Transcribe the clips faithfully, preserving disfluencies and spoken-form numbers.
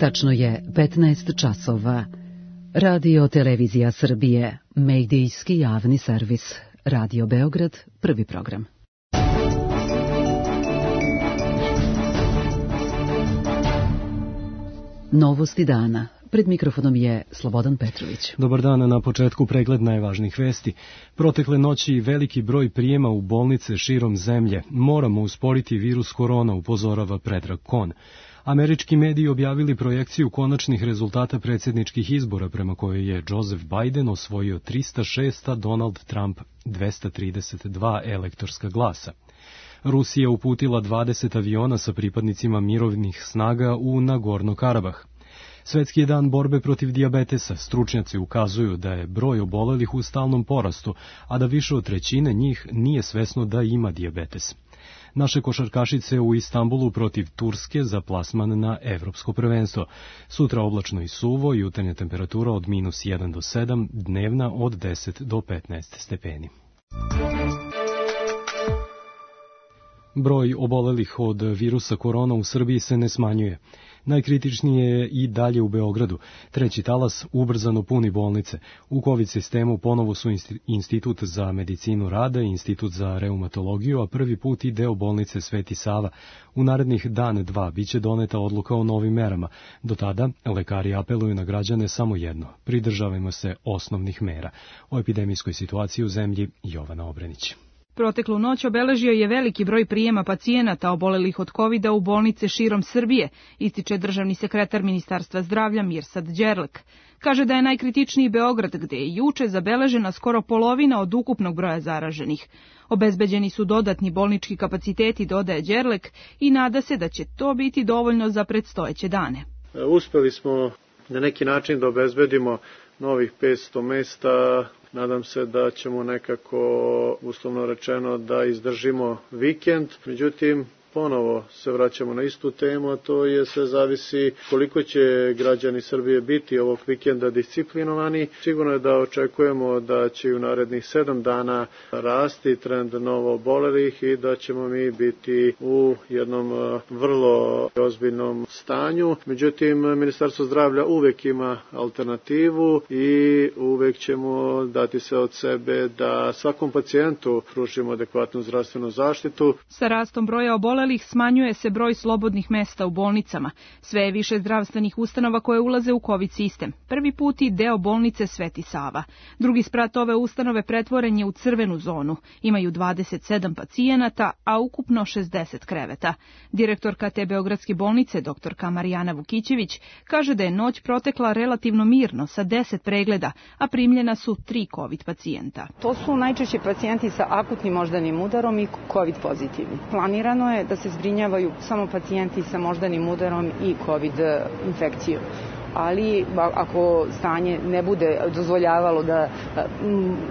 Tačno je petnaest časova. Radio Televizija Srbije, medijski javni servis. Radio Beograd, prvi program. Novosti dana. Pred mikrofonom je Slobodan Petrović. Dobar dan, na početku pregled najvažnijih vesti. Protekle noći veliki broj prijema u bolnice širom zemlje. Moramo usporiti virus korona, upozorava Predrag Kon. Američki mediji objavili projekciju konačnih rezultata predsjedničkih izbora prema kojoj je Joseph Biden osvojio trista šest, a Donald Trump dvesta trideset dva elektorska glasa. Rusija uputila dvadeset aviona sa pripadnicima mirovnih snaga u Nagorno-Karabah. Svetski je dan borbe protiv dijabetesa. Stručnjaci ukazuju da je broj obolelih u stalnom porastu, a da više od trećine njih nije svesno da ima dijabetes. Naše košarkašice u Istanbulu protiv Turske za plasman na evropsko prvenstvo. Sutra oblačno i suvo, jutarnja temperatura od minus jedan do sedam, dnevna od deset do petnaest stepeni. Broj obolelih od virusa korona u Srbiji se ne smanjuje. Najkritičnije je i dalje u Beogradu. Treći talas ubrzano puni bolnice. U COVID sistemu ponovo su Institut za medicinu rada i Institut za reumatologiju, a prvi put i deo bolnice Sveti Sava. U narednih dan dva biće doneta odluka o novim merama. Do tada lekari apeluju na građane samo jedno: pridržavajmo se osnovnih mera. O epidemijskoj situaciji u zemlji Jovana Obrenić. Proteklu noć obeležio je veliki broj prijema pacijenata obolelih od kovida u bolnice širom Srbije, ističe državni sekretar Ministarstva zdravlja Mirsad Đerlek. Kaže da je najkritičniji Beograd, gde je juče zabeležena skoro polovina od ukupnog broja zaraženih. Obezbeđeni su dodatni bolnički kapaciteti, dodaje Đerlek, i nada se da će to biti dovoljno za predstojeće dane. Uspeli smo na neki način da obezbedimo novih petsto mesta. Nadam se da ćemo nekako, uslovno rečeno, da izdržimo vikend. Međutim, ponovo se vraćamo na istu temu, a to je sve zavisi koliko će građani Srbije biti ovog vikenda disciplinovani. Sigurno je da očekujemo da će u narednih sedam dana rasti trend novo obolelih i da ćemo mi biti u jednom vrlo ozbiljnom stanju. Međutim, Ministarstvo zdravlja uvek ima alternativu i uvek ćemo dati sve od sebe da svakom pacijentu pružimo adekvatnu zdravstvenu zaštitu. Sa rastom broja obolelih smanjuje se broj slobodnih mesta u bolnicama. Sve je više zdravstvenih ustanova koje ulaze u COVID sistem. Prvi put i deo bolnice Sveti Sava. Drugi sprat ove ustanove pretvoren je u crvenu zonu. Imaju dvadeset sedam pacijenata, a ukupno šezdeset kreveta. Direktorka te beogradske bolnice, doktorka Marijana Vukićević, kaže da je noć protekla relativno mirno sa deset pregleda, a primljena su tri COVID pacijenta. To su najčešće pacijenti sa akutnim moždanim udarom i COVID pozitivni. Planirano je da se zbrinjavaju samo pacijenti sa moždanim udarom i COVID infekcijom. Ali ako stanje ne bude dozvoljavalo da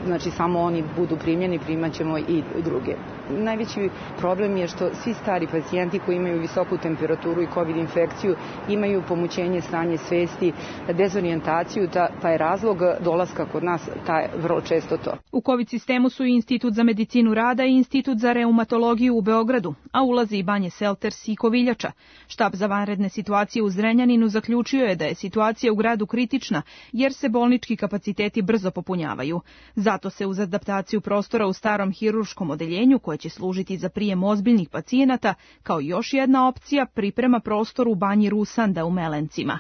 znači, samo oni budu primljeni, primat ćemo i druge. Najveći problem je što svi stari pacijenti koji imaju visoku temperaturu i COVID infekciju imaju pomućenje stanje svesti, dezorijentaciju, pa je razlog dolaska kod nas taj vrlo često to. U COVID sistemu su i Institut za medicinu rada i Institut za reumatologiju u Beogradu, a ulazi i Banje Selters i Koviljača. Štab za vanredne situacije u Zrenjaninu zaključio je da je situacija u gradu kritična, jer se bolnički kapaciteti brzo popunjavaju. Zato se uz adaptaciju prostora u starom hirurškom odeljenju, koje će služiti za prijem ozbiljnih pacijenata, kao još jedna opcija priprema prostor u Banji Rusanda u Melencima.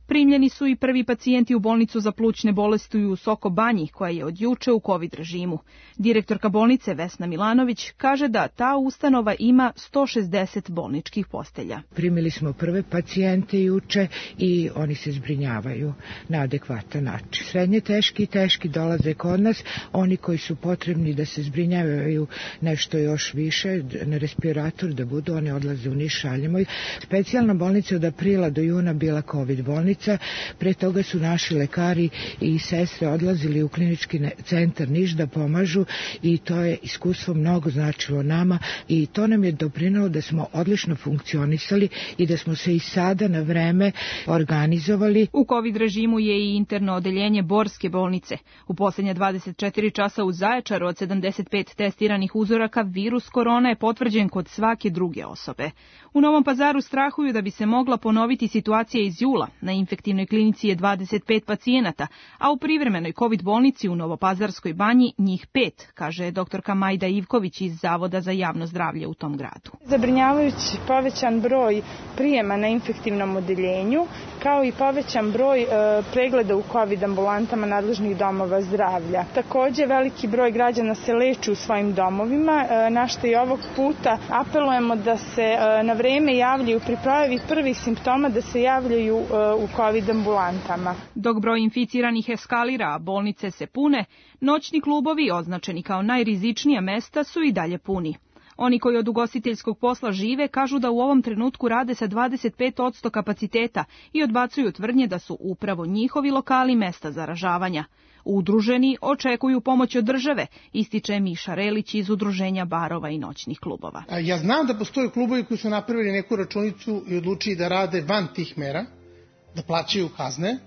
Primljeni su i prvi pacijenti u bolnicu za plućne bolesti u Soko Banji, koja je od juče u COVID režimu. Direktorka bolnice Vesna Milanović kaže da ta ustanova ima sto šezdeset bolničkih postelja. Primili smo prve pacijente juče i oni se zbrinjavaju na adekvatan način. Srednje teški i teški dolaze kod nas, oni koji su potrebni da se zbrinjavaju nešto još više, na respirator da budu, oni odlaze u Niš, šaljemo ih. Specijalna bolnica od aprila do juna bila COVID bolnica, bolnica. Pre toga su naši lekari i sestre odlazili u klinički centar Niš da pomažu i to je iskustvo mnogo značilo nama i to nam je doprinelo da smo odlično funkcionisali i da smo se i sada na vreme organizovali. U COVID režimu je i interno odeljenje Borske bolnice. U posljednje dvadeset četiri časa u Zaječaru od sedamdeset pet testiranih uzoraka virus korona je potvrđen kod svake druge osobe. U Novom Pazaru strahuju da bi se mogla ponoviti situacija iz jula. Na infektivnoj klinici je dvadeset pet pacijenata, a u privremenoj COVID bolnici u Novopazarskoj banji njih pet, kaže doktorka Majda Ivković iz Zavoda za javno zdravlje u tom gradu. Zabrinjavajući povećan broj prijema na infektivnom odeljenju, kao i povećan broj e, pregleda u COVID ambulantama nadležnih domova zdravlja. Takođe, veliki broj građana se leči u svojim domovima, e, na što i ovog puta apelujemo da se e, na vreme javljaju pri pojavi prvih simptoma, da se javljaju e, u COVID ambulantama. Dok broj inficiranih eskalira, a bolnice se pune, noćni klubovi, označeni kao najrizičnija mesta, su i dalje puni. Oni koji od ugostiteljskog posla žive kažu da u ovom trenutku rade sa dvadeset pet posto kapaciteta i odbacuju tvrdnje da su upravo njihovi lokali mesta zaražavanja. Udruženi očekuju pomoć od države, ističe Miša Relić iz Udruženja barova i noćnih klubova. Ja znam da postoje klubovi koji su napravili neku računicu i odlučili da rade van tih mera, da plaćaju kazne,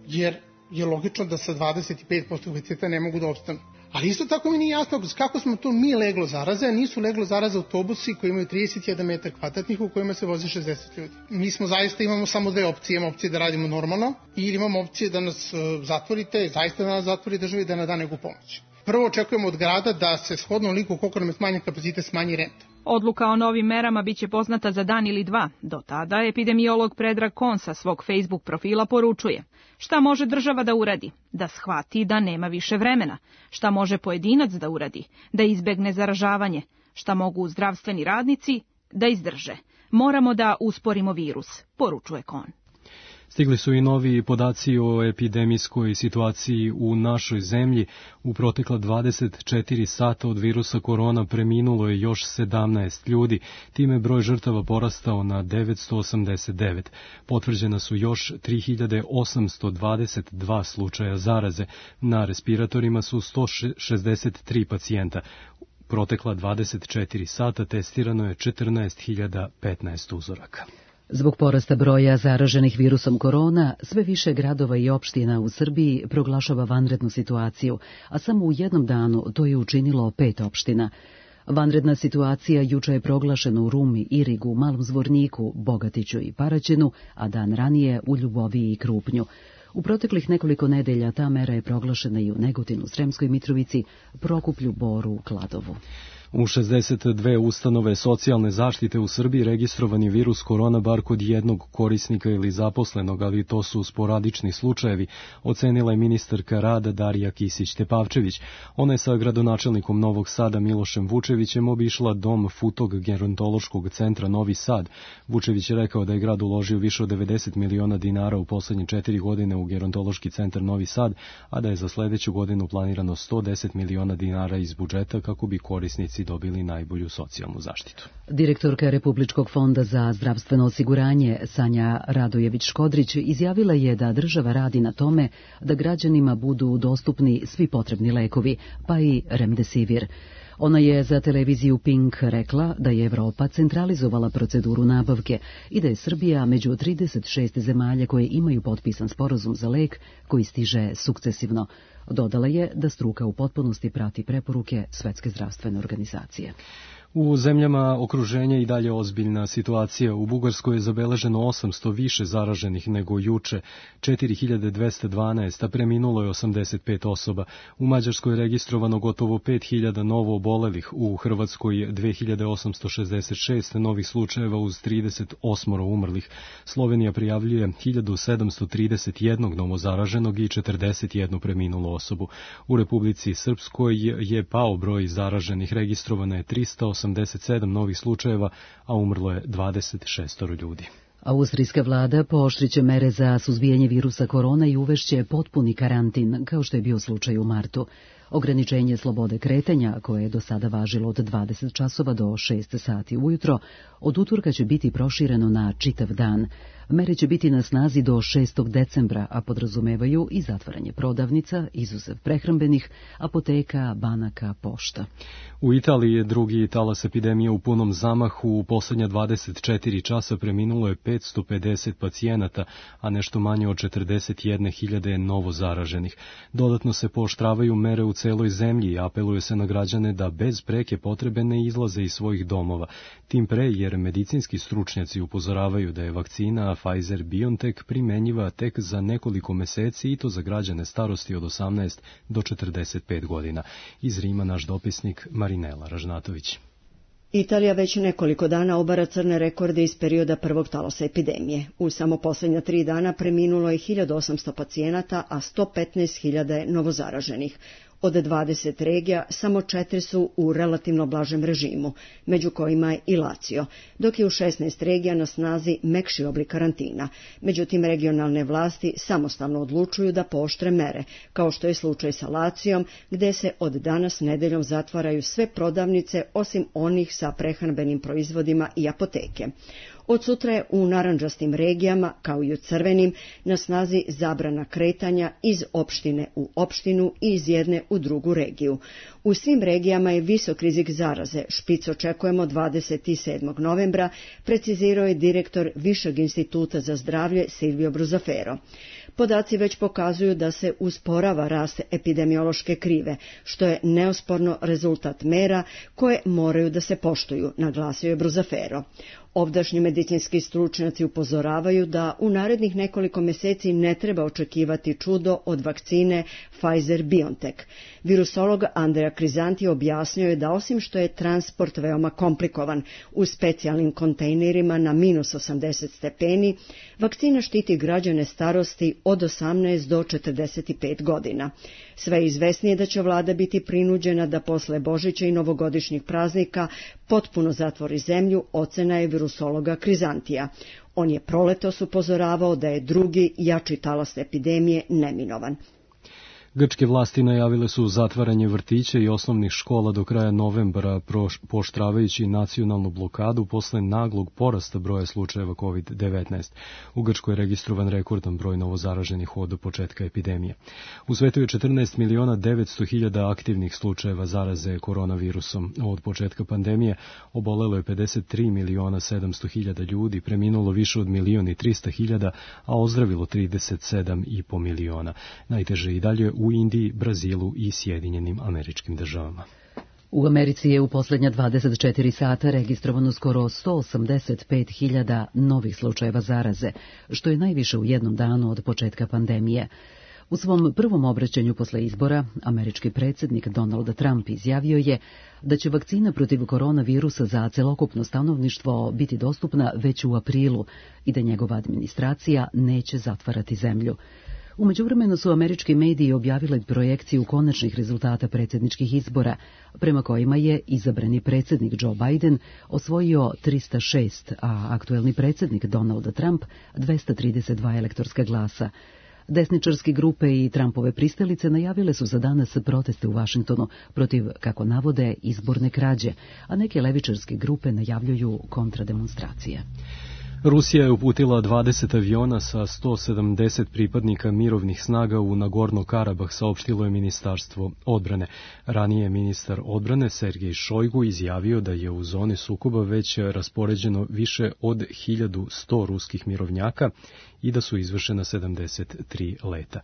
jer je logično da sa dvadeset pet posto kapaciteta ne mogu da opstanu. Ali isto tako mi nije jasno kako smo to mi leglo zaraze, a nisu leglo zaraze autobusi koji imaju trideset jedan metar kvadratnih u kojima se vozi šezdeset ljudi. Mi smo zaista imamo samo dve opcije, imamo opcije da radimo normalno ili imamo opcije da nas zatvorite, zaista da nas zatvori država i da nam da neku pomoć. Prvo očekujemo od grada da se shodno liku koliko nam je smanjen kapacitet smanji renta. Odluka o novim merama biće poznata za dan ili dva. Do tada epidemiolog Predrag Kon sa svog Facebook profila poručuje: šta može država da uradi? Da shvati da nema više vremena. Šta može pojedinac da uradi? Da izbegne zaražavanje. Šta mogu zdravstveni radnici? Da izdrže. Moramo da usporimo virus, poručuje Kon. Stigli su i novi podaci o epidemijskoj situaciji u našoj zemlji. U protekla dvadeset četiri sata od virusa korona preminulo je još sedamnaest ljudi, time broj žrtava porastao na devetsto osamdeset devet. Potvrđena su još tri hiljade osamsto dvadeset dva slučaja zaraze. Na respiratorima su sto šezdeset tri pacijenta. Protekla dvadeset četiri sata testirano je četrnaest hiljada petnaest uzoraka. Zbog porasta broja zaraženih virusom korona, sve više gradova i opština u Srbiji proglašava vanrednu situaciju, a samo u jednom danu to je učinilo pet opština. Vanredna situacija juče je proglašena u Rumi, Irigu, Malom Zvorniku, Bogatiću i Paraćinu, a dan ranije u Ljuboviji i Krupnju. U proteklih nekoliko nedelja ta mera je proglašena i u Negotinu, Sremskoj Mitrovici, Prokuplju, Boru, Kladovu. U šezdeset dve ustanove socijalne zaštite u Srbiji registrovan je virus korona bar kod jednog korisnika ili zaposlenog, ali to su sporadični slučajevi, ocenila je ministarka rada Darija Kisić-Tepavčević. Ona je sa gradonačelnikom Novog Sada Milošem Vučevićem obišla dom Futog gerontološkog centra Novi Sad. Vučević je rekao da je grad uložio više od devedeset miliona dinara u poslednje četiri godine u gerontološki centar Novi Sad, a da je za sledeću godinu planirano sto deset miliona dinara iz budžeta kako bi korisnici dobili najbolju socijalnu zaštitu. Direktorka Republičkog fonda za zdravstveno osiguranje Sanja Radojević-Škodrić izjavila je da država radi na tome da građanima budu dostupni svi potrebni lekovi, pa i remdesivir. Ona je za televiziju Pink rekla da je Evropa centralizovala proceduru nabavke i da je Srbija među trideset šest zemalja koje imaju potpisan sporazum za lek koji stiže sukcesivno. Dodala je da struka u potpunosti prati preporuke Svetske zdravstvene organizacije. U zemljama okruženja i dalje ozbiljna situacija. U Bugarskoj je zabeleženo osamsto više zaraženih nego juče, četiri hiljade dvesta dvanaest, a preminulo je osamdeset pet osoba. U Mađarskoj je registrovano gotovo pet hiljada novo obolelih, u Hrvatskoj dve hiljade osamsto šezdeset šest novih slučajeva uz trideset osam umrlih. Slovenija prijavljuje hiljadu sedamsto trideset jedan novo zaraženog i četrdeset jednu preminulu osobu. U Republici Srpskoj je pao broj zaraženih, registrovano je trista osamdeset sedam novih slučajeva, a umrlo je dvadeset šest ljudi. Austrijska vlada pooštriće mere za suzbijanje virusa korona i uvešće potpuni karantin, kao što je bio slučaj u martu. Ograničenje slobode kretanja, koje je do sada važilo od dvadeset časova do šest sati ujutro, od utorka će biti prošireno na čitav dan. Mere će biti na snazi do šestog decembra, a podrazumevaju i zatvaranje prodavnica, izuzev prehrambenih, apoteka, banaka, pošta. U Italiji je drugi talas epidemije u punom zamahu. U posljednja dvadeset četiri časa preminulo je petsto pedeset pacijenata, a nešto manje od četrdeset jedne hiljade je novo zaraženih. Dodatno se pooštravaju mere u celoj zemlji i apeluje se na građane da bez preke potrebe ne izlaze iz svojih domova. Tim pre jer medicinski stručnjaci upozoravaju da je vakcina Pfizer-BioNTech primenjiva tek za nekoliko meseci i to za građane starosti od osamnaest do četrdeset pet godina. Iz Rima naš dopisnik Marinela Ražnatović. Italija već nekoliko dana obara crne rekorde iz perioda prvog talasa epidemije. U samo posljednja tri dana preminulo je hiljadu osamsto pacijenata, a sto petnaest hiljada je novozaraženih. Od dvadeset regija samo četiri su u relativno blažem režimu, među kojima je i Lazio, dok je u šesnaest regija na snazi mekši oblik karantina. Međutim, regionalne vlasti samostalno odlučuju da pooštre mere, kao što je slučaj sa Lacijom, gde se od danas nedeljom zatvaraju sve prodavnice osim onih sa prehrambenim proizvodima i apoteke. Od sutra je u narandžastim regijama, kao i u crvenim, na snazi zabrana kretanja iz opštine u opštinu i iz jedne u drugu regiju. U svim regijama je visok rizik zaraze, špic očekujemo dvadeset sedmog novembra, precizirao je direktor Višeg instituta za zdravlje Silvio Bruzafero. Podaci već pokazuju da se usporava rast epidemiološke krive, što je neosporno rezultat mera koje moraju da se poštuju, naglasio je Bruzafero. Ovdašnji medicinski stručnjaci upozoravaju da u narednih nekoliko meseci ne treba očekivati čudo od vakcine Pfizer-BioNTech. Virusolog Andrea Crisanti objasnio je da osim što je transport veoma komplikovan u specijalnim kontejnerima na minus osamdeset stepeni, vakcina štiti građane starosti od osamnaest do četrdeset pet godina. Sve izvesnije da će vlada biti prinuđena da posle Božića i novogodišnjih praznika potpuno zatvori zemlju, ocena je virusologa Krizantija. On je proletos upozoravao da je drugi, jači talas epidemije neminovan. Grčke vlasti najavile su zatvaranje vrtića i osnovnih škola do kraja novembra, pooštravajući nacionalnu blokadu posle naglog porasta broja slučajeva kovid devetnaest. U Grčkoj je registrovan rekordan broj novozaraženih od početka epidemije. U svetu je četrnaest miliona devetsto hiljada aktivnih slučajeva zaraze koronavirusom. Od početka pandemije obolelo je pedeset tri miliona sedamsto hiljada ljudi, preminulo više od milion i trista hiljada, a ozdravilo trideset sedam i po miliona. Najteže i dalje u Indiji, Brazilu i Sjedinjenim Američkim Državama. U Americi je u posljednja dvadeset četiri sata registrovano skoro sto osamdeset pet hiljada novih slučajeva zaraze, što je najviše u jednom danu od početka pandemije. U svom prvom obraćanju posle izbora, američki predsjednik Donald Trump izjavio je da će vakcina protiv koronavirusa za celokupno stanovništvo biti dostupna već u aprilu i da njegova administracija neće zatvarati zemlju. U međuvremenu su američki mediji objavili projekciju konačnih rezultata predsjedničkih izbora, prema kojima je izabrani predsjednik Joe Biden osvojio trista šest, a aktuelni predsjednik Donald Trump dvesta trideset dva elektorska glasa. Desničarske grupe i Trumpove pristalice najavile su za danas proteste u Vašingtonu protiv, kako navode, izborne krađe, a neke levičarske grupe najavljuju kontrademonstracije. Rusija je uputila dvadeset aviona sa sto sedamdeset pripadnika mirovnih snaga u Nagorno-Karabah, saopštilo je Ministarstvo odbrane. Ranije ministar odbrane Sergej Šojgu izjavio da je u zoni sukoba već raspoređeno više od hiljadu sto ruskih mirovnjaka i da su izvršena sedamdeset tri leta.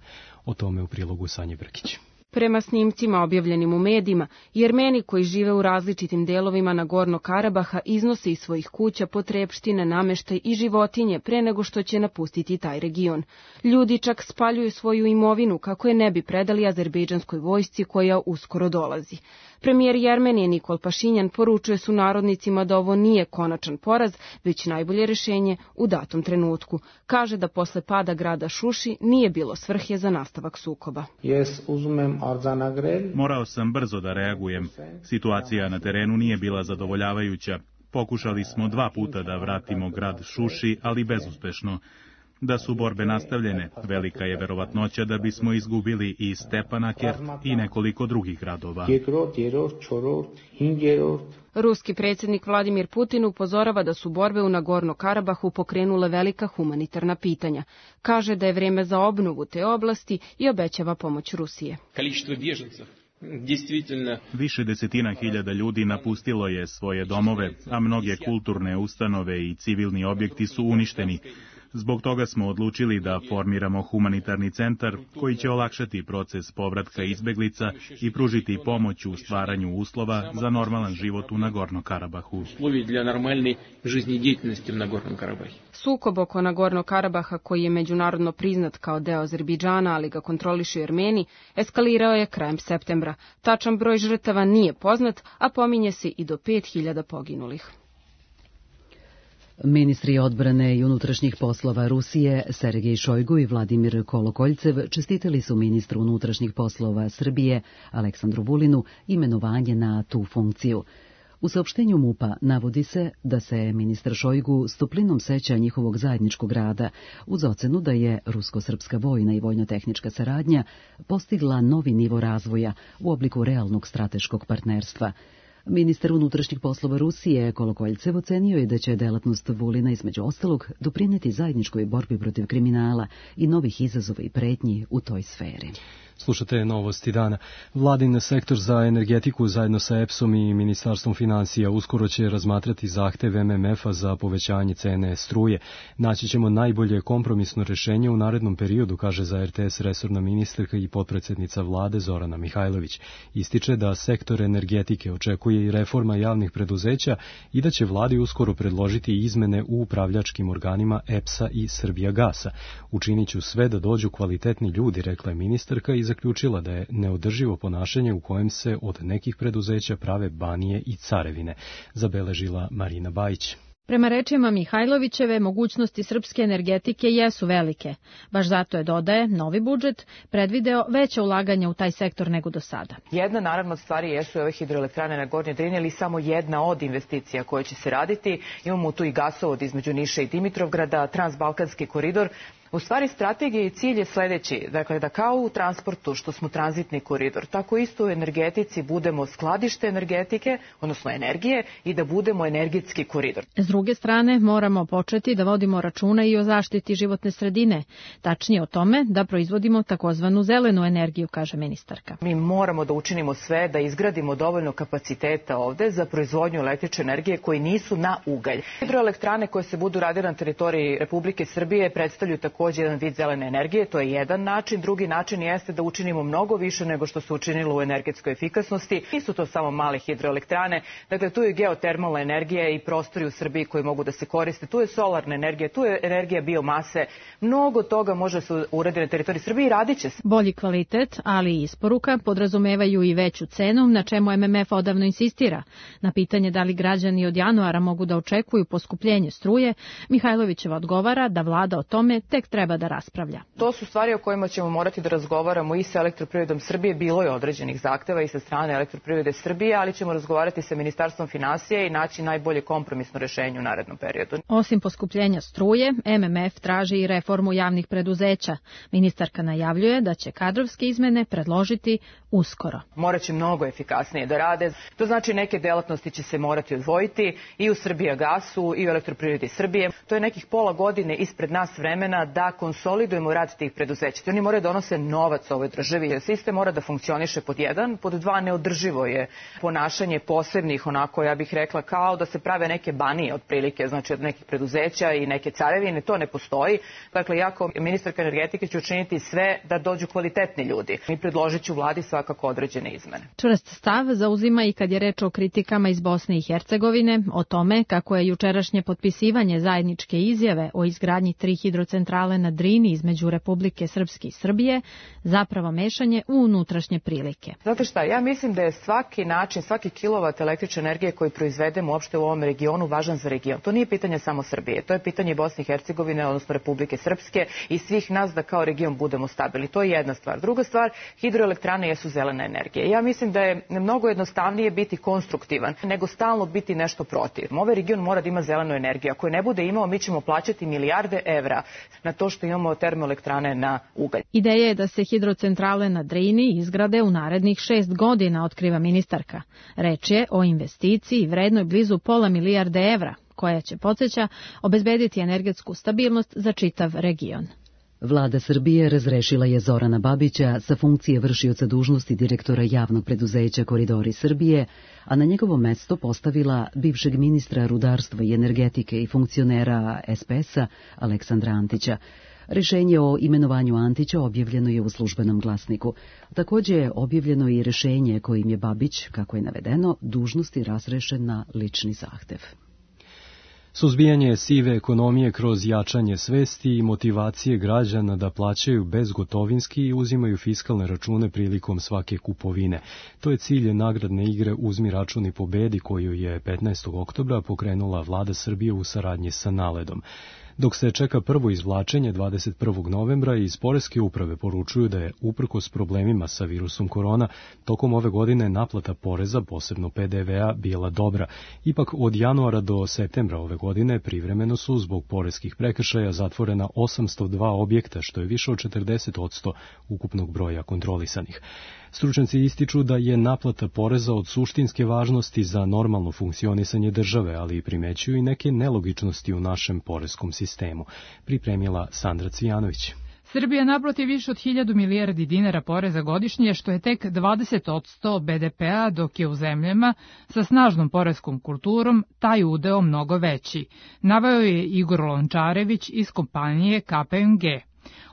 O tome u prilogu Sanje Brkić. Prema snimcima objavljenim u medijima, Jermeni koji žive u različitim delovima Nagorno-Karabaha iznose iz svojih kuća potrepštine, nameštaj i životinje pre nego što će napustiti taj region. Ljudi čak spaljuju svoju imovinu kako je ne bi predali azerbejdžanskoj vojsci koja uskoro dolazi. Premijer Jermenije Nikol Pašinjan poručuje su narodnicima da ovo nije konačan poraz, već najbolje rešenje u datom trenutku. Kaže da posle pada grada Šuši nije bilo svrhe za nastavak sukoba. Morao sam brzo da reagujem. Situacija na terenu nije bila zadovoljavajuća. Pokušali smo dva puta da vratimo grad Šuši, ali bezuspešno. Da su borbe nastavljene, velika je verovatnoća da bismo izgubili i Stepanaker i nekoliko drugih gradova. Ruski predsjednik Vladimir Putin upozorava da su borbe u Nagorno-Karabahu pokrenule velika humanitarna pitanja. Kaže da je vrijeme za obnovu te oblasti i obećava pomoć Rusije. Više desetina hiljada ljudi napustilo je svoje domove, a mnoge kulturne ustanove i civilni objekti su uništeni. Zbog toga smo odlučili da formiramo humanitarni centar koji će olakšati proces povratka izbeglica i pružiti pomoć u stvaranju uslova za normalan život u Nagorno-Karabahu. Sukob oko Nagorno-Karabaha, koji je međunarodno priznat kao deo Azerbejdžana, ali ga kontrolišu Armeni, eskalirao je krajem septembra. Tačan broj žrtava nije poznat, a pominje se i do pet hiljada poginulih. Ministri odbrane i unutrašnjih poslova Rusije Sergej Šojgu i Vladimir Kolokoljcev čestitali su ministru unutrašnjih poslova Srbije Aleksandru Vulinu imenovanje na tu funkciju. U saopštenju MUP-a navodi se da se ministar Šojgu s toplinom seća njihovog zajedničkog rada, uz ocenu da je rusko-srpska vojna i vojno-tehnička saradnja postigla novi nivo razvoja u obliku realnog strateškog partnerstva. Ministar unutrašnjih poslova Rusije Kolokoljcev ocenio je da će delatnost Vulina između ostalog doprineti zajedničkoj borbi protiv kriminala i novih izazova i pretnji u toj sferi. Slušate novosti dana. Vladin sektor za energetiku zajedno sa E P S-om i Ministarstvom financija uskoro će razmatrati zahtev M M F-a za povećanje cene struje. Naći ćemo najbolje kompromisno rešenje u narednom periodu, kaže za R T S resorna ministarka i potpredsjednica vlade Zorana Mihajlović. Ističe da sektor energetike očekuje i reforma javnih preduzeća i da će vladi uskoro predložiti izmene u upravljačkim organima E P S-a i Srbijagasa. Učinit ću sve da dođu kvalitetni ljudi, rekla je ministarka i zaključila da je neodrživo ponašanje u kojem se od nekih preduzeća prave banije i carevine, zabeležila Marina Bajić. Prema rečima Mihajlovićeve, mogućnosti srpske energetike jesu velike. Baš zato je, dodaje, novi budžet predvideo veća ulaganja u taj sektor nego do sada. Jedna, naravno, od stvari jesu ove hidroelektrane na Gornjoj Drini, ali samo jedna od investicija koje će se raditi. Imamo tu i gasovod između Niša i Dimitrovgrada, transbalkanski koridor. U stvari, strategija i cilj je sledeći, dakle da kao u transportu što smo tranzitni koridor, tako isto u energetici budemo skladište energetike, odnosno energije, i da budemo energetski koridor. S druge strane, moramo početi da vodimo računa i o zaštiti životne sredine, tačnije o tome da proizvodimo takozvanu zelenu energiju, kaže ministarka. Mi moramo da učinimo sve da izgradimo dovoljno kapaciteta ovde za proizvodnju električne energije koji nisu na ugalj. Hidroelektrane koje se budu radile na teritoriji Republike Srbije predstavljaju tako također jedan vid zelene energije, to je jedan način. Drugi način jeste da učinimo mnogo više nego što se učinilo u energetskoj efikasnosti. Nisu to samo male hidroelektrane, dakle tu je geotermalna energija i prostori u Srbiji koji mogu da se koriste, tu je solarna energija, tu je energija biomase, mnogo toga može se uraditi na teritoriji Srbije i radit će se. Bolji kvalitet, ali i isporuka podrazumevaju i veću cenu, na čemu M M F odavno insistira. Na pitanje da li građani od januara mogu da očekuju poskupljenje struje, Mihajlovićeva odgovara da vlada o tome tek treba da raspravlja. To su stvari o kojima ćemo morati da razgovaramo i sa Elektroprivredom Srbije. Bilo je određenih zahteva i sa strane Elektroprivrede Srbije, ali ćemo razgovarati sa Ministarstvom finansija i naći najbolje kompromisno rešenje u narednom periodu. Osim poskupljenja struje, M M F traži i reformu javnih preduzeća. Ministarka najavljuje da će kadrovske izmene predložiti uskoro. Morat će mnogo efikasnije da rade. To znači neke delatnosti će se morati odvojiti i u Srbijagasu i u Elektroprivredi Srbije. To je nekih pola godine ispred nas vremena da konsolidujemo rad tih preduzeća. Oni moraju da donose novac ovoj državi. Sistem mora da funkcioniše pod jedan, pod dva neodrživo je ponašanje posebnih, onako ja bih rekla kao da se prave neke banije otprilike, znači od nekih preduzeća i neke carevine, to ne postoji. Dakle, ja kao ministarka energetike ću učiniti sve da dođu kvalitetni ljudi. Mi predložit ću vladi svakako određene izmene. Čvrst stav zauzima i kad je reč o kritikama iz Bosne i Hercegovine, o tome kako je jučerašnje potpisivanje zajedničke izjave o izgradnji tri hidrocentrale na Drini između Republike Srpske i Srbije zapravo mešanje u unutrašnje prilike. Znate šta, ja mislim da je svaki način, svaki kilovat električne energije koji proizvedemo uopšte u ovom regionu važan za region. To nije pitanje samo Srbije, to je pitanje Bosne i Hercegovine, odnosno Republike Srpske i svih nas da kao region budemo stabilni. To je jedna stvar. Druga stvar, hidroelektrane jesu zelena energija. Ja mislim da je mnogo jednostavnije biti konstruktivan nego stalno biti nešto protiv. Ovaj region mora da ima zelenu energiju. Ako je ne bude imao, mi ćemo plaćati milijarde evra na to što imamo termoelektrane na ugalj. Ideja je da se hidrocentrale na Drini izgrade u narednih šest godina, otkriva ministarka. Reč je o investiciji vrednoj blizu pola milijarde evra, koja će, podsjeća, obezbediti energetsku stabilnost za čitav region. Vlada Srbije razrešila je Zorana Babića sa funkcije vršioca dužnosti direktora javnog preduzeća Koridori Srbije, a na njegovo mesto postavila bivšeg ministra rudarstva i energetike i funkcionera es pe es-a Aleksandra Antića. Rešenje o imenovanju Antića objavljeno je u Službenom glasniku. Također je objavljeno i rešenje kojim je Babić, kako je navedeno, dužnosti razrešen na lični zahtev. Suzbijanje sive ekonomije kroz jačanje svesti i motivacije građana da plaćaju bezgotovinski i uzimaju fiskalne račune prilikom svake kupovine. To je cilj nagradne igre Uzmi račun i pobedi koju je petnaestog oktobra pokrenula Vlada Srbije u saradnji sa Naledom. Dok se čeka prvo izvlačenje dvadeset prvog novembra, iz Poreske uprave poručuju da je, uprkos problemima sa virusom korona, tokom ove godine naplata poreza, posebno pe de ve a, bila dobra. Ipak od januara do septembra ove godine privremeno su zbog poreskih prekršaja zatvorena osamsto dva objekta, što je više od četrdeset posto ukupnog broja kontrolisanih. Stručnjaci ističu da je naplata poreza od suštinske važnosti za normalno funkcionisanje države, ali i primećuju i neke nelogičnosti u našem poreskom sistemu. Pripremila Sandra Cvijanović. Srbija naplati više od hiljadu milijardi dinara poreza godišnje, što je tek dvadeset posto be de pe a, dok je u zemljama sa snažnom poreskom kulturom taj udeo mnogo veći. Naveo je Igor Lončarević iz kompanije ka pe em ge.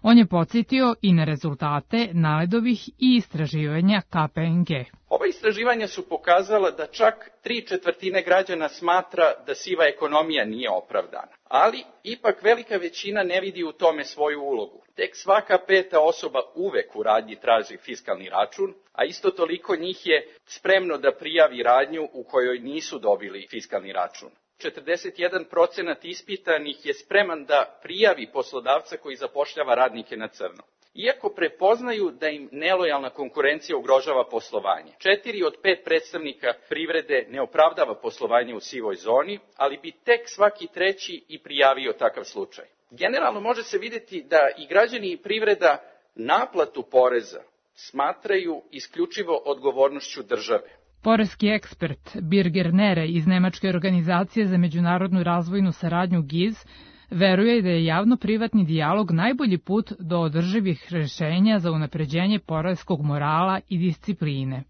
On je podsjetio i na rezultate Naledovih i istraživanja ka pe em ge. Ova istraživanja su pokazala da čak tri četvrtine građana smatra da siva ekonomija nije opravdana, ali ipak velika većina ne vidi u tome svoju ulogu. Tek svaka peta osoba uvek u radnji traži fiskalni račun, a isto toliko njih je spremno da prijavi radnju u kojoj nisu dobili fiskalni račun. četrdeset jedan procenat ispitanih je spreman da prijavi poslodavca koji zapošljava radnike na crno, iako prepoznaju da im nelojalna konkurencija ugrožava poslovanje. Četiri od pet predstavnika privrede ne opravdava poslovanje u sivoj zoni, ali bi tek svaki treći i prijavio takav slučaj. Generalno može se vidjeti da i građani i privreda naplatu poreza smatraju isključivo odgovornošću države. Poreski ekspert Birger Nere iz Nemačke organizacije za međunarodnu razvojnu saradnju G I Z veruje da je javno-privatni dijalog najbolji put do održivih rešenja za unapređenje poreskog morala i discipline.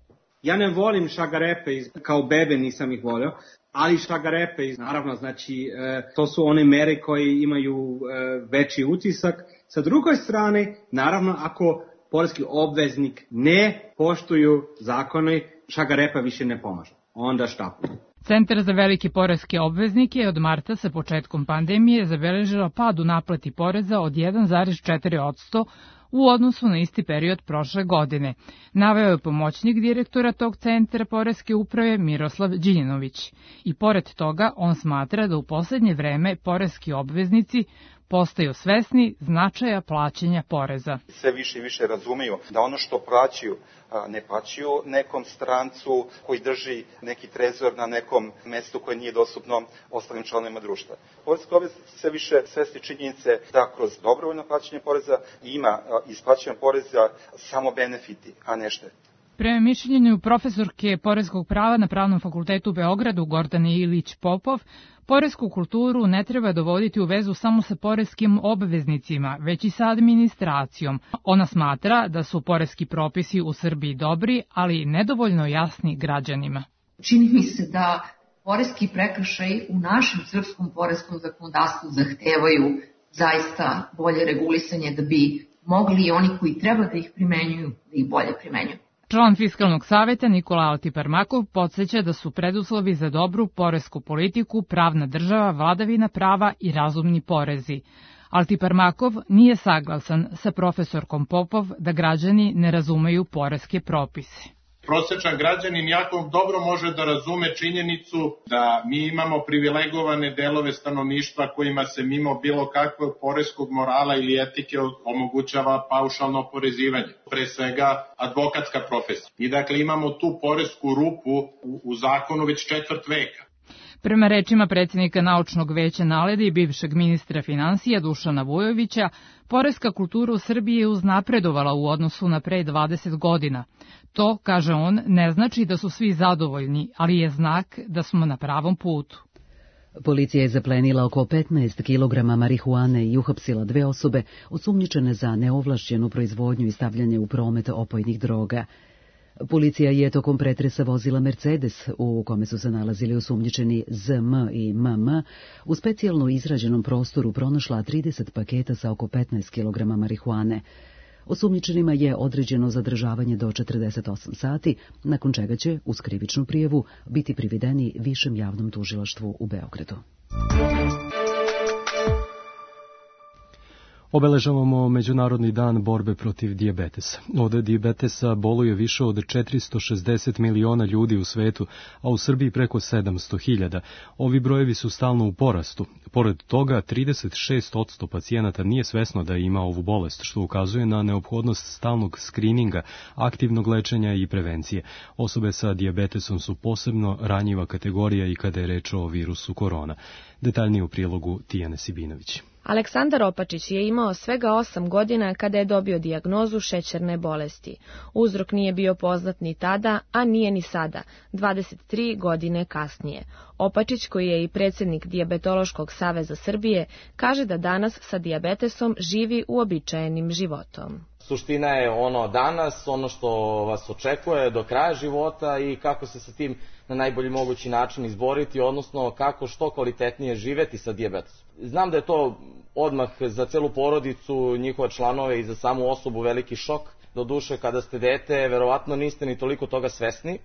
Ja ne volim šagarepe, kao bebe nisam ih volio, ali šagarepe, naravno, znači, to su one mere koje imaju veći utisak. Sa druge strane, naravno, ako poreski obveznik ne poštuju zakone, šagarepa više ne pomaže. Onda štapuju. Centar za velike poreske obveznike je od marta sa početkom pandemije zabeležila pad u naplati poreza od jedan zarez četiri posto u odnosu na isti period prošle godine. Naveo je pomoćnik direktora tog centra poreske uprave Miroslav Đinjanović. I pored toga on smatra da u poslednje vreme poreski obveznici postaju svesni značaja plaćanja poreza. Sve više i više razumeju da ono što plaćaju ne plaćaju nekom strancu koji drži neki trezor na nekom mestu koje nije dostupno ostalim članovima društva. Poreski obveznici sve više svesni činjenice da kroz dobrovoljno plaćanje poreza ima isplaćanje poreza samo benefiti, a ne štete. Prema mišljenju profesorke poreskog prava na Pravnom fakultetu u Beogradu Gordane Ilić-Popov, poresku kulturu ne treba dovoditi u vezu samo sa poreskim obveznicima, već i sa administracijom. Ona smatra da su poreski propisi u Srbiji dobri, ali nedovoljno jasni građanima. Čini mi se da poreski prekršaji u našem srpskom poreskom zakonodavstvu zahtevaju zaista bolje regulisanje da bi mogli i oni koji treba da ih primenjuju, da ih bolje primenjuju. Član Fiskalnog saveta Nikola Altiparmakov podsjeća da su preduslovi za dobru poresku politiku pravna država, vladavina prava i razumni porezi. Altiparmakov nije saglasan sa profesorkom Popov da građani ne razumeju poreske propise. Prosečan građanin jako dobro može da razume činjenicu da mi imamo privilegovane delove stanovništva kojima se mimo bilo kakvog poreskog morala ili etike omogućava paušalno oporezivanje. Pre svega advokatska profesija. I dakle imamo tu poresku rupu u, u zakonu već četvrt veka. Prema rečima predsjednika Naučnog veća NALED-a i bivšeg ministra finansija Dušana Vujovića, poreska kultura u Srbiji je uznapredovala u odnosu na pre dvadeset godina. To, kaže on, ne znači da su svi zadovoljni, ali je znak da smo na pravom putu. Policija je zaplenila oko petnaest kilograma marihuane i uhapsila dve osobe osumnjičene za neovlašćenu proizvodnju i stavljanje u promet opojnih droga. Policija je tokom pretresa vozila Mercedes, u kome su se nalazili osumnjičeni Z M i M M, u specijalno izrađenom prostoru pronašla trideset paketa sa oko petnaest kilograma marihuane. Osumnjičenima je određeno zadržavanje do četrdeset osam sati, nakon čega će, uz krivičnu prijavu, biti privedeni Višem javnom tužilaštvu u Beogradu. Obeležavamo Međunarodni dan borbe protiv dijabetesa. Od dijabetesa boluje više od četiristo šezdeset miliona ljudi u svetu, a u Srbiji preko sedamsto hiljada. Ovi brojevi su stalno u porastu. Pored toga, trideset šest posto pacijenata nije svesno da ima ovu bolest, što ukazuje na neophodnost stalnog skrininga, aktivnog lečenja i prevencije. Osobe sa dijabetesom su posebno ranjiva kategorija i kada je reč o virusu korona. Detaljnije u prilogu Tijane Sibinović. Aleksandar Opačić je imao svega osam godina kada je dobio dijagnozu šećerne bolesti. Uzrok nije bio poznat ni tada, a nije ni sada, dvadeset tri godine kasnije. Opačić, koji je i predsjednik Dijabetološkog saveza Srbije, kaže da danas sa dijabetesom živi uobičajenim životom. Suština je ono danas, ono što vas očekuje do kraja života i kako se sa tim na najbolji mogući način izboriti, odnosno kako što kvalitetnije živeti sa dijabetesom. Znam da je to odmah za celu porodicu, njihove članove i za samu osobu veliki šok. Doduše, kada ste dete, verovatno niste ni toliko toga svesni,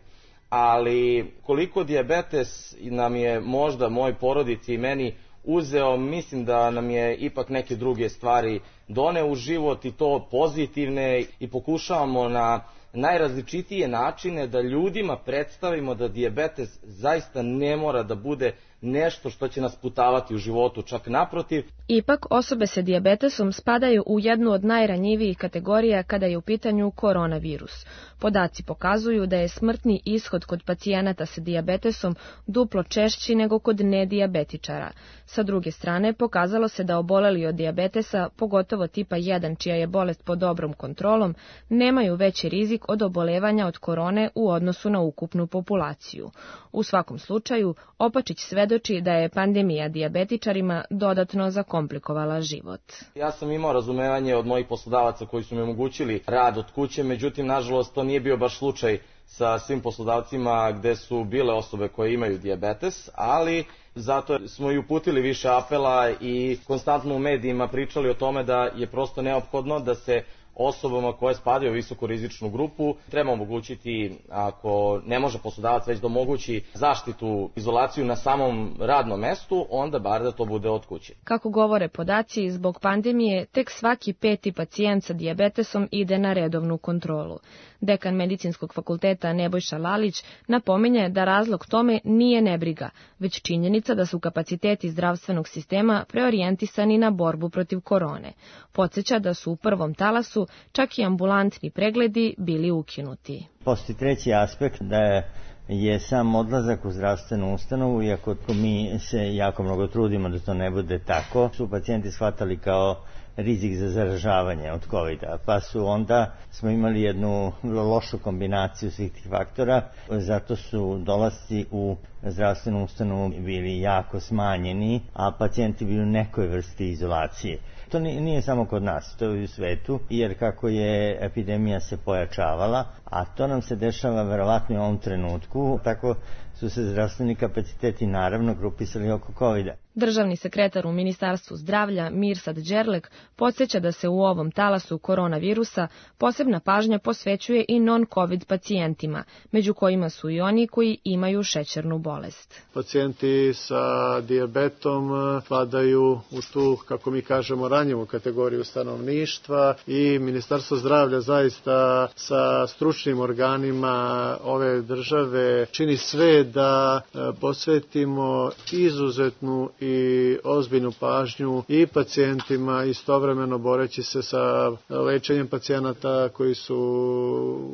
ali koliko dijabetes nam je možda moj porodici i meni uzeo, mislim da nam je ipak neke druge stvari doneo u život i to pozitivne i pokušavamo na najrazličitije načine da ljudima predstavimo da dijabetes zaista ne mora da bude nešto što će nas putavati u životu, čak naprotiv. Ipak, osobe sa dijabetesom spadaju u jednu od najranjivijih kategorija kada je u pitanju koronavirus. Podaci pokazuju da je smrtni ishod kod pacijenata sa dijabetesom duplo češći nego kod nedijabetičara. Sa druge strane, pokazalo se da oboleli od dijabetesa, pogotovo tipa jedan, čija je bolest pod dobrom kontrolom, nemaju veći rizik od obolevanja od korone u odnosu na ukupnu populaciju. U svakom slučaju, Opačić svedoči da je pandemija dijabetičarima dodatno zakomplikovala život. Ja sam imao razumevanje od mojih poslodavaca koji su mi omogućili rad od kuće, međutim, nažalost, to nije bio baš slučaj sa svim poslodavcima gde su bile osobe koje imaju dijabetes, ali zato smo i uputili više apela i konstantno u medijima pričali o tome da je prosto neophodno da se osobama koje spadaju u visokorizičnu grupu treba omogućiti, ako ne može poslodavac već da omogući zaštitu, izolaciju na samom radnom mestu, onda bar da to bude od kuće. Kako govore podaci, zbog pandemije tek svaki peti pacijent sa dijabetesom ide na redovnu kontrolu. Dekan Medicinskog fakulteta Nebojša Lalić napominje da razlog tome nije nebriga, već činjenica da su kapaciteti zdravstvenog sistema preorijentisani na borbu protiv korone. Podsjeća da su u prvom talasu čak i ambulantni pregledi bili ukinuti. Postoji treći aspekt da je je sam odlazak u zdravstvenu ustanovu, iako mi se jako mnogo trudimo da to ne bude tako, su pacijenti shvatali kao rizik za zaražavanje od kovida, pa su onda smo imali jednu vrlo lošu kombinaciju svih tih faktora, zato su dolasci u zdravstvenu ustanovu bili jako smanjeni, a pacijenti bili u nekoj vrsti izolacije. To nije samo kod nas, to je u svetu, jer kako je epidemija se pojačavala, a to nam se dešava verovatno u ovom trenutku, tako su se zdravstveni kapaciteti naravno grupisali oko kovida. Državni sekretar u Ministarstvu zdravlja Mirsad Đerlek podsjeća da se u ovom talasu koronavirusa posebna pažnja posvećuje i non-covid pacijentima, među kojima su i oni koji imaju šećernu bolest. Pacijenti sa dijabetom padaju u tu, kako mi kažemo, ranjivu kategoriju stanovništva i Ministarstvo zdravlja zaista sa stručnim organima ove države čini sve da posvetimo izuzetnu i ozbiljnu pažnju i pacijentima, istovremeno boreći se sa lečenjem pacijenata koji su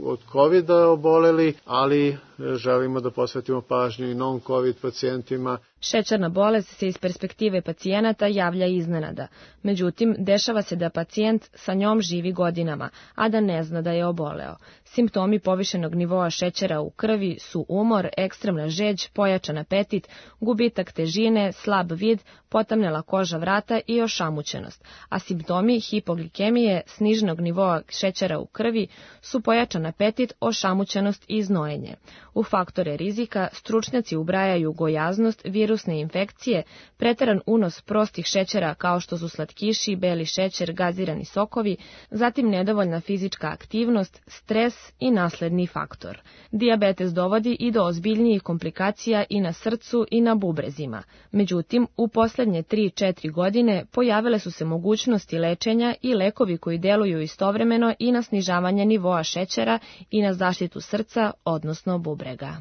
od kovida oboleli, ali želimo da posvetimo pažnju i non-covid pacijentima. Šećerna bolest se iz perspektive pacijenata javlja iznenada. Međutim, dešava se da pacijent sa njom živi godinama, a da ne zna da je oboleo. Simptomi povišenog nivoa šećera u krvi su umor, ekstremna žeđ, pojačan apetit, gubitak težine, slab vid, potamnela koža vrata i ošamućenost, a simptomi hipoglikemije, sniženog nivoa šećera u krvi su pojačan apetit, ošamućenost i znojenje. U faktore rizika stručnjaci ubrajaju gojaznost, virusne infekcije, preteran unos prostih šećera kao što su slatkiši, beli šećer, gazirani sokovi, zatim nedovoljna fizička aktivnost, stres i nasledni faktor. Dijabetes dovodi i do ozbiljnijih komplikacija i na srcu i na bubrezima. Međutim, u poslednje tri do četiri godine pojavile su se mogućnosti lečenja i lekovi koji deluju istovremeno i na snižavanje nivoa šećera i na zaštitu srca, odnosno bubrega.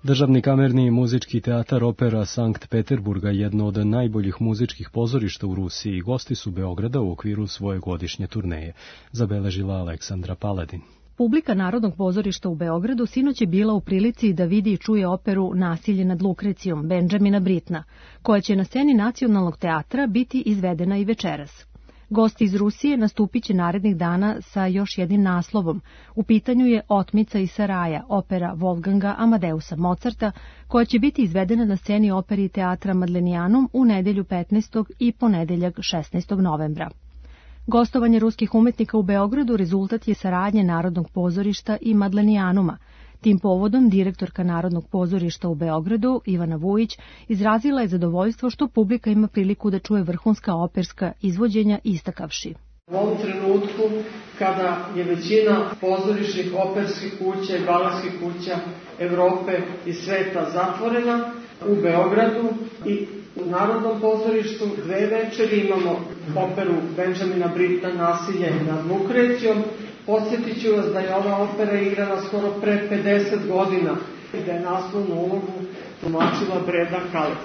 Državni kamerni muzički teatar Opera Sankt Peterburga, jedno od najboljih muzičkih pozorišta u Rusiji, gosti su Beograda u okviru svoje godišnje turneje, zabeležila Aleksandra Paladin. Publika Narodnog pozorišta u Beogradu sinoć je bila u prilici da vidi i čuje operu Nasilje nad Lukrecijom Benjamina Britna, koja će na sceni Nacionalnog teatra biti izvedena i večeras. Gosti iz Rusije nastupit će narednih dana sa još jednim naslovom. U pitanju je Otmica iz Saraja, opera Wolfganga Amadeusa Mozarta, koja će biti izvedena na sceni operi teatra Madlenijanum u nedelju petnaestog i ponedeljak šesnaestog novembra. Gostovanje ruskih umetnika u Beogradu rezultat je saradnje Narodnog pozorišta i Madlenijanuma. Tim povodom direktorka Narodnog pozorišta u Beogradu, Ivana Vujić, izrazila je zadovoljstvo što publika ima priliku da čuje vrhunska operska izvođenja, istakavši: U ovom trenutku, kada je većina pozorišnih operskih kuća i baletskih kuća Evrope i sveta zatvorena, u Beogradu i u Narodnom pozorištu dve večeri imamo operu Benjamina Britna Nasilje nad Lukrecijom. Podsjetit ću vas da je ova opera igrana skoro pre pedeset godina i da je naslovnu ulogu tumačila Breda Kaleti.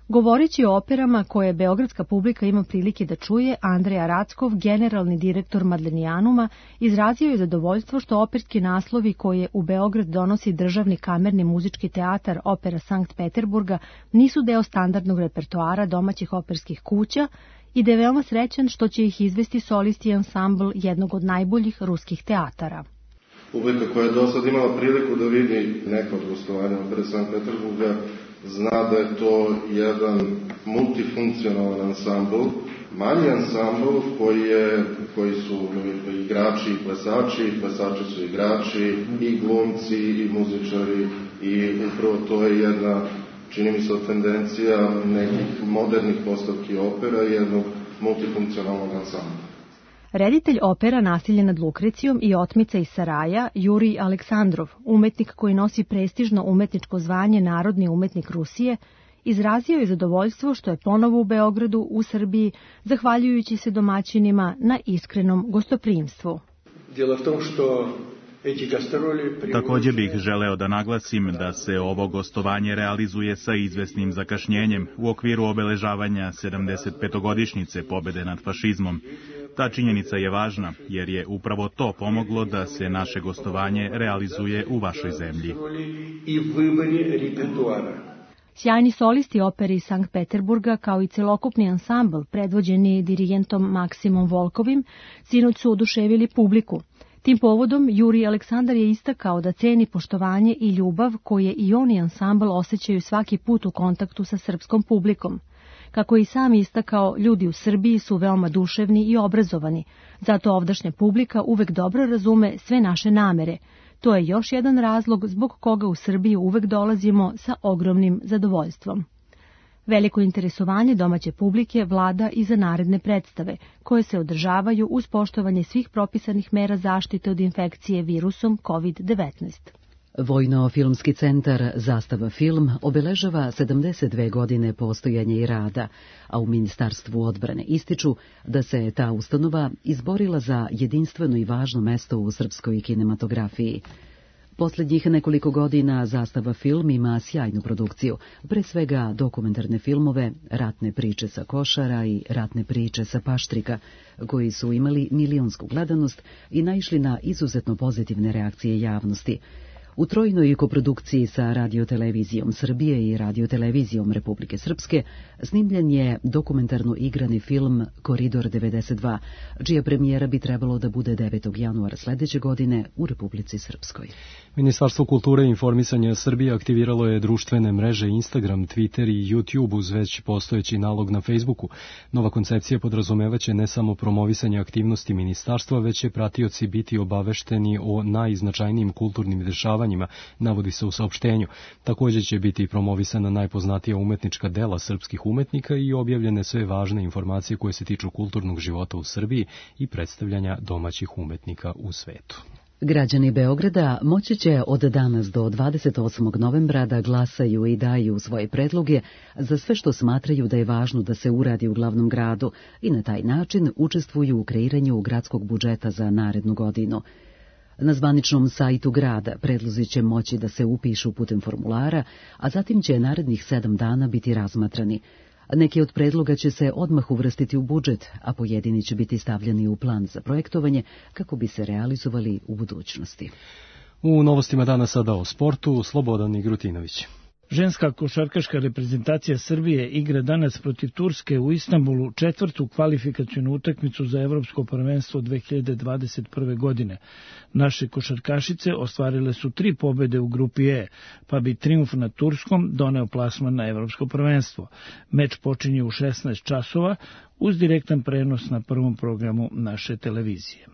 Govoreći o operama koje beogradska publika ima prilike da čuje, Andreja Rackov, generalni direktor Madlenijanuma, izrazio je zadovoljstvo što operski naslovi koje u Beograd donosi Državni kamerni muzički teatar Opera Sankt Peterburga nisu deo standardnog repertoara domaćih operskih kuća i da je veoma srećan što će ih izvesti solisti i ansambl jednog od najboljih ruskih teatara. Publika koja je do sad imala priliku da vidi neka od gostovanja Opere Sankt Peterburga zna da je to jedan multifunkcionalan ansambl, manji ansambl koji, je, koji su igrači i plesači, plesači su igrači i glumci i muzičari i upravo to je jedna, čini mi se, tendencija nekih modernih postavki opera i jednog multifunkcionalnog ansambla. Reditelj opera Nasilje nad Lukrecijom i Otmica iz Saraja, Jurij Aleksandrov, umetnik koji nosi prestižno umetničko zvanje Narodni umetnik Rusije, izrazio je zadovoljstvo što je ponovo u Beogradu, u Srbiji, zahvaljujući se domaćinima na iskrenom gostoprimstvu. Djelo v tom što Također bih želeo da naglasim da se ovo gostovanje realizuje sa izvesnim zakašnjenjem u okviru obeležavanja sedamdesetpetogodišnjice pobede nad fašizmom. Ta činjenica je važna jer je upravo to pomoglo da se naše gostovanje realizuje u vašoj zemlji. Sjajni solisti opere iz Sankt Peterburga kao i celokupni ansambl predvođeni dirigentom Maksimom Volkovim sinoć su oduševili publiku. Tim povodom Jurij Aleksandar je istakao da ceni poštovanje i ljubav koje i on i ansambl osjećaju svaki put u kontaktu sa srpskom publikom. Kako je i sam istakao, ljudi u Srbiji su veoma duševni i obrazovani, zato ovdašnja publika uvek dobro razume sve naše namere. To je još jedan razlog zbog koga u Srbiju uvek dolazimo sa ogromnim zadovoljstvom. Veliko interesovanje domaće publike vlada i za naredne predstave, koje se održavaju uz poštovanje svih propisanih mera zaštite od infekcije virusom kovid devetnaest. Vojno-filmski centar Zastava film obeležava sedamdeset dve godine postojanja i rada, a u Ministarstvu odbrane ističu da se ta ustanova izborila za jedinstveno i važno mesto u srpskoj kinematografiji. Posljednjih nekoliko godina Zastava film ima sjajnu produkciju, pre svega dokumentarne filmove, ratne priče sa Košara i ratne priče sa Paštrika, koji su imali milionsku gledanost i naišli na izuzetno pozitivne reakcije javnosti. U trojnoj koprodukciji sa Radiotelevizijom Srbije i Radiotelevizijom Republike Srpske snimljen je dokumentarno igrani film Koridor devedeset dva, čija premijera bi trebalo da bude devetog januara sledeće godine u Republici Srpskoj. Ministarstvo kulture i informisanja Srbije aktiviralo je društvene mreže Instagram, Twitter i YouTube uz već postojeći nalog na Facebooku. Nova koncepcija podrazumevaće ne samo promovisanje aktivnosti ministarstva, već će pratioci biti obavešteni o najznačajnijim kulturnim dešavanjima, navodi se u saopštenju. Također će biti promovisana najpoznatija umetnička dela srpskih umetnika i objavljene sve važne informacije koje se tiču kulturnog života u Srbiji i predstavljanja domaćih umetnika u svetu. Građani Beograda moći će od danas do dvadeset osmog novembra da glasaju i daju svoje predloge za sve što smatraju da je važno da se uradi u glavnom gradu i na taj način učestvuju u kreiranju gradskog budžeta za narednu godinu. Na zvaničnom sajtu grada predlozi će moći da se upišu putem formulara, a zatim će narednih sedam dana biti razmatrani. Neki od predloga će se odmah uvrstiti u budžet, a pojedini će biti stavljeni u plan za projektovanje kako bi se realizovali u budućnosti. U novostima dana sada o sportu, Slobodan Igrutinović. Ženska košarkaška reprezentacija Srbije igra danas protiv Turske u Istanbulu četvrtu kvalifikacionu utakmicu za Evropsko prvenstvo dve hiljade dvadeset prve. godine. Naše košarkašice ostvarile su tri pobede u grupi E, pa bi trijumf nad Turskom doneo plasman na Evropsko prvenstvo. Meč počinje u šesnaest časova uz direktan prenos na prvom programu naše televizije.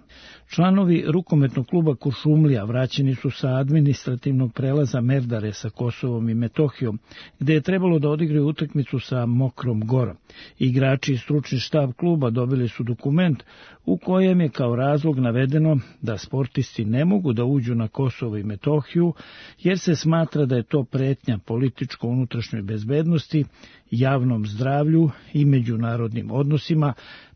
Članovi rukometnog kluba Kuršumlija vraćeni su sa administrativnog prelaza Merdare sa Kosovom i Metohijom, gde je trebalo da odigraju utakmicu sa Mokrom Gorom. Igrači i stručni štab kluba dobili su dokument u kojem je kao razlog navedeno da sportisti ne mogu da uđu na Kosovo i Metohiju, jer se smatra da je to pretnja političko-unutrašnjoj bezbednosti, javnom zdravlju i međunarodnim odnosima,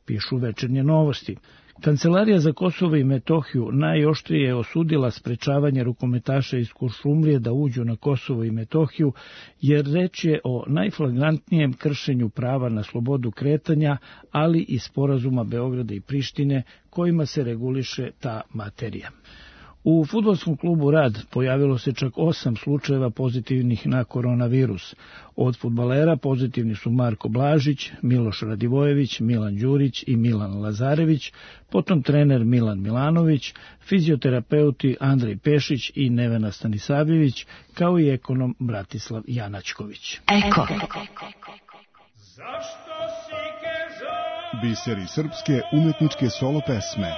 pišu Večernje novosti. Kancelarija za Kosovo i Metohiju najoštrije je osudila sprečavanje rukometaša iz Kuršumlije da uđu na Kosovo i Metohiju, jer reč je o najflagrantnijem kršenju prava na slobodu kretanja, ali i sporazuma Beograda i Prištine kojima se reguliše ta materija. U fudbalskom klubu Rad pojavilo se čak osam slučajeva pozitivnih na koronavirus. Od fudbalera pozitivni su Marko Blažić, Miloš Radivojević, Milan Đurić i Milan Lazarević, potom trener Milan Milanović, fizioterapeuti Andrej Pešić i Nevena Stanisavljević, kao i ekonom Bratislav Janačković. Eko. Biseri srpske umetničke solo pesme.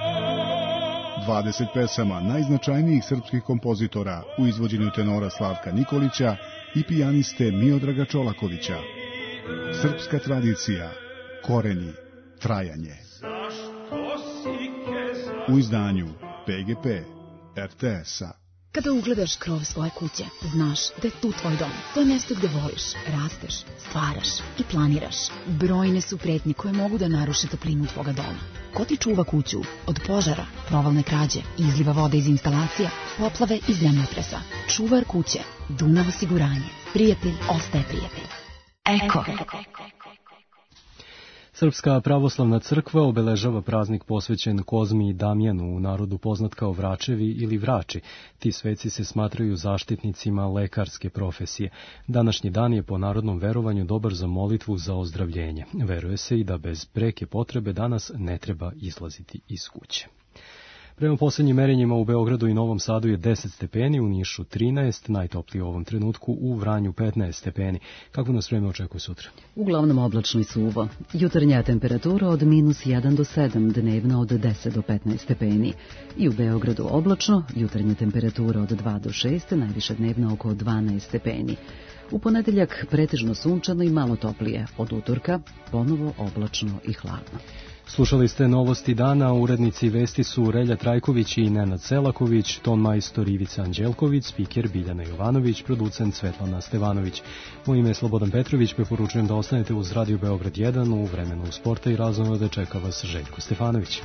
dvadeset pesama najznačajnijih srpskih kompozitora u izvođenju tenora Slavka Nikolića i pijaniste Miodraga Čolakovića. Srpska tradicija, koreni, trajanje. U izdanju P G P R T S-a. Kada ugledaš krov svoje kuće, znaš da je tu tvoj dom. To je mjesto gde voliš, rasteš, stvaraš i planiraš. Brojne su pretnje koje mogu da naruše toplinu tvoga doma. Ko ti čuva kuću od požara, provalne krađe, izliva vode iz instalacija, poplave i zemljotresa? Čuvar kuće, Dunav osiguranje. Prijatelj ostaje prijatelj. Eko. Srpska pravoslavna crkva obeležava praznik posvećen Kozmi i Damjanu, u narodu poznat kao Vračevi ili Vrači. Ti sveci se smatraju zaštitnicima lekarske profesije. Današnji dan je po narodnom verovanju dobar za molitvu za ozdravljenje. Veruje se i da bez preke potrebe danas ne treba izlaziti iz kuće. Prema posljednjim merenjima u Beogradu i Novom Sadu je deset stepeni, u Nišu trinaest, najtoplije u ovom trenutku, u Vranju petnaest stepeni. Kako nas vreme očekuje sutra? Uglavnom oblačno i suvo. Jutarnja temperatura od minus jedan do sedam, dnevna od deset do petnaest stepeni. I u Beogradu oblačno, jutarnja temperatura od dva do šest, najviša dnevna oko dvanaest stepeni. U ponedeljak pretežno sunčano i malo toplije, od utorka ponovo oblačno i hladno. Slušali ste novosti dana, urednici vesti su Relja Trajković i Nenad Selaković, ton majstor Ivica Anđelković, spiker Biljana Jovanović, producent Svetlana Stevanović. Moje ime je Slobodan Petrović, preporučujem da ostanete uz Radio Beograd jedan, u vremenu sporta i razonode čeka vas Željko Stefanović.